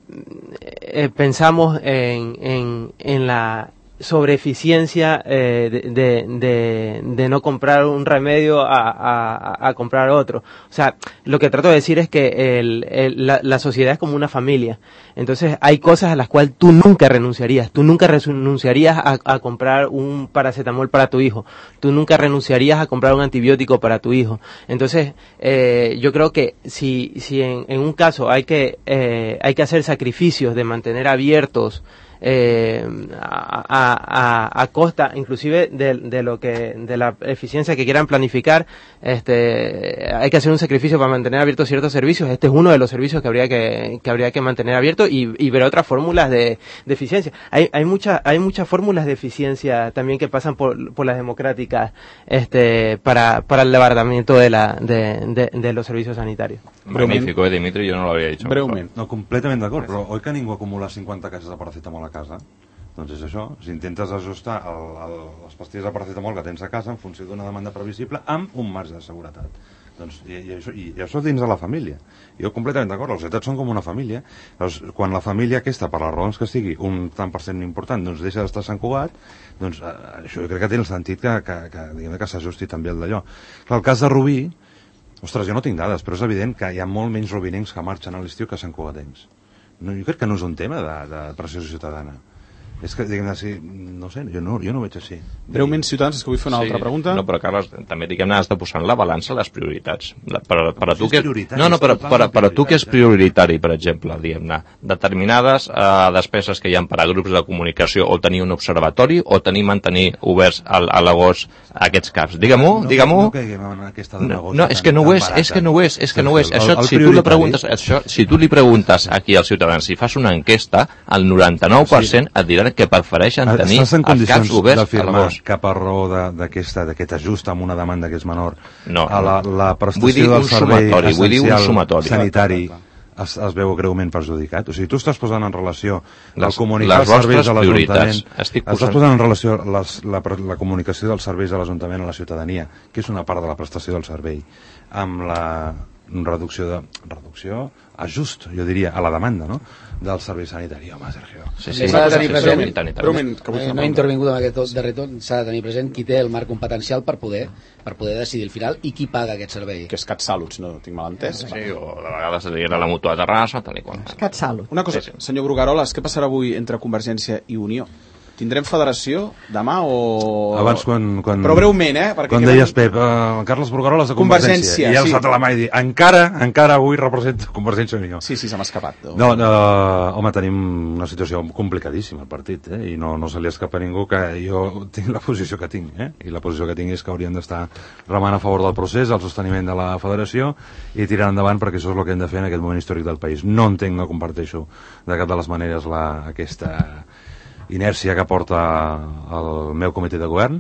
eh, pensamos en, en, en la sobreeficiencia eh, de, de, de, de no comprar un remedio a, a, a comprar otro. O sea, lo que trato de decir es que el, el, la, la sociedad es como una familia. Entonces hay cosas a las cuales tú nunca renunciarías. Tú nunca renunciarías a, a comprar un paracetamol para tu hijo. Tú nunca renunciarías a comprar un antibiótico para tu hijo. Entonces, eh, yo creo que si, si en, en un caso hay que, eh, hay que hacer sacrificios de mantener abiertos Eh, a, a, a costa inclusive de, de lo que de la eficiencia que quieran planificar, este hay que hacer un sacrificio para mantener abiertos ciertos servicios. Este es uno de los servicios que habría que, que habría que mantener abierto y, y ver otras fórmulas de, de eficiencia. Hay hay muchas hay muchas fórmulas de eficiencia también que pasan por, por las democráticas este para para el levantamiento de la de, de, de los servicios sanitarios. Magnífico, eh, Dimitri, yo no lo habría dicho. Breument. No, completament d'acord, però oi que ningú acumula cinquanta caixes de paracetamol a casa? Doncs és això, si intentes ajustar el, el, les pastilles de paracetamol que tens a casa en funció d'una demanda previsible amb un marge de seguretat. Doncs, i, i, això, i, i això dins de la família. Jo completament d'acord, les societats són com una família. Doncs, quan la família aquesta, per les raons que sigui, un tant per cent important, doncs deixa d'estar a Sant Cugat, doncs eh, això jo crec que té el sentit que, que, que, que, que s'ajusti també el d'allò. Clar, el cas de Rubí, ostres, jo no tinc dades, però és evident que hi ha molt menys rubinencs que marxen a l'estiu que Sant Cugatencs. No, jo crec que no és un tema de, de pressió ciutadana. És que, diguem-ne, sí, no sé, jo no, jo no ho veig així. Breument, Ciutadans, és que vull fer una sí, altra pregunta. No, però, Carles, també, diguem-ne, has de posar en la balança les prioritats. La, per, per a tu és que, no, no, per, per, per a tu que és prioritari, per exemple, diguem-ne, determinades eh, despeses que hi ha per a grups de comunicació, o tenir un observatori, o tenir, mantenir oberts al, a l'agost aquests caps. Digue-m'ho, no, digue-m'ho. No caiguem en aquesta demagogia. No, és que no ho és, és que no ho és, és que no ho és. Això, si tu li preguntes, això, si tu li preguntes aquí als ciutadans, si fas una enquesta, el noranta-nou per cent et diran que prefereixen tenir els caps oberts a l'agost. Que per raó d'aquest ajust amb una demanda que és menor no, a la, la prestació vull dir del servei sumatori, vull dir un sumatori. sanitari es, es veu greument perjudicat. O sigui, tu estàs posant en relació les, el comunicar els serveis de l'Ajuntament, posant... estàs posant en relació les, la, la comunicació dels serveis de l'Ajuntament a la ciutadania, que és una part de la prestació del servei, amb la reducció de reducció, ajust, jo diria, a la demanda, no?, del servei sanitari. Home, Sergio. Sí, sí, s'ha de tenir present, eh, no he intervingut en aquest darrer torn, s'ha de tenir present qui té el marc competencial per poder per poder decidir al final i qui paga aquest servei. Que és CatSalut, si no tinc mal entès. Sí, o de vegades era la Mutua de Terrassa, tal i qual. CatSalut. Una cosa, senyor Brugaroles, què passarà avui entre Convergència i Unió? Tindrem federació demà o... Abans quan... quan Però breument, eh? Perquè quan deies, Pep, uh, Carles Brugaroles de Convergència, Convergència i ja sí. alçat a la mà i dir, encara, encara avui representa Convergència i Unió. Sí, sí, se m'ha escapat. No, no, home, tenim una situació complicadíssima al partit, eh? I no, no se li escapa a ningú que jo tinc la posició que tinc, eh? I la posició que tinc és que hauríem d'estar remant a favor del procés, el sosteniment de la federació i tirar endavant, perquè això és el que hem de fer en aquest moment històric del país. No entenc, no comparteixo de cap de les maneres la, aquesta inèrcia que porta el meu comitè de govern,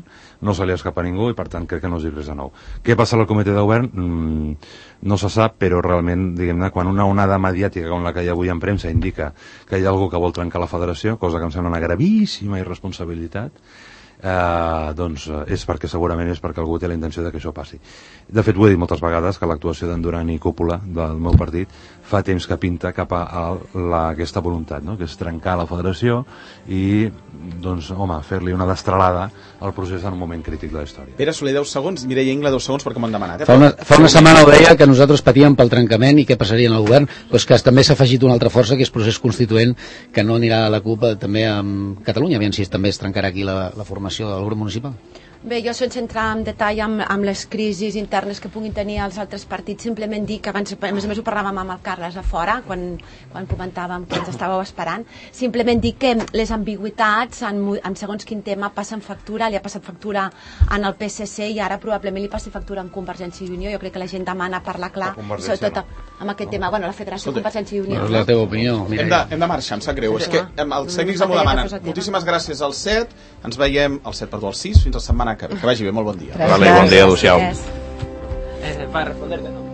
no se li escapa a ningú i per tant crec que no és dir res de nou. Què passa al comitè de govern? Mm, no se sap, però realment, diguem-ne, quan una onada mediàtica com la que hi ha avui en premsa indica que hi ha algú que vol trencar la federació, cosa que em sembla una gravíssima irresponsabilitat, eh, doncs és perquè segurament és perquè algú té la intenció de que això passi. De fet, ho he dit moltes vegades, que l'actuació d'en Duran i Cúpula del meu partit fa temps que pinta cap a la, aquesta voluntat, no?, que és trencar la federació i, doncs, home, fer-li una destralada al procés en un moment crític de la història. Pere Soler, deu segons, Mireia Ingla, deu segons, perquè m'ho han demanat. Eh? Fa una, fa una setmana ho deia, que nosaltres patíem pel trencament i què passaria en el govern, doncs que també s'ha afegit una altra força, que és procés constituent, que no anirà a la CUP també amb Catalunya, aviam si també es trencarà aquí la, la formació del grup municipal. Bé, jo sense entrar en detall amb, amb les crisis internes que puguin tenir els altres partits, simplement dir que abans, a més a més ho parlàvem amb el Carles a fora, quan, quan comentàvem que ens estàveu esperant, simplement dir que les ambigüitats en, en segons quin tema passen factura, li ha passat factura en el P S C i ara probablement li passi factura en Convergència i Unió. Jo crec que la gent demana parlar clar, sobretot amb aquest tema, bueno, la Federació de Convergència i Unió. No és la teva opinió. Hem de, hem de marxar, em sap greu. És que els tècnics m'ho demanen. Moltíssimes gràcies al set, ens veiem al set, perdó, al sis, fins la setmana que ve. Que vagi bé, molt bon dia. Vale, bon dia, adéu-siau. Eh, para responderte, no.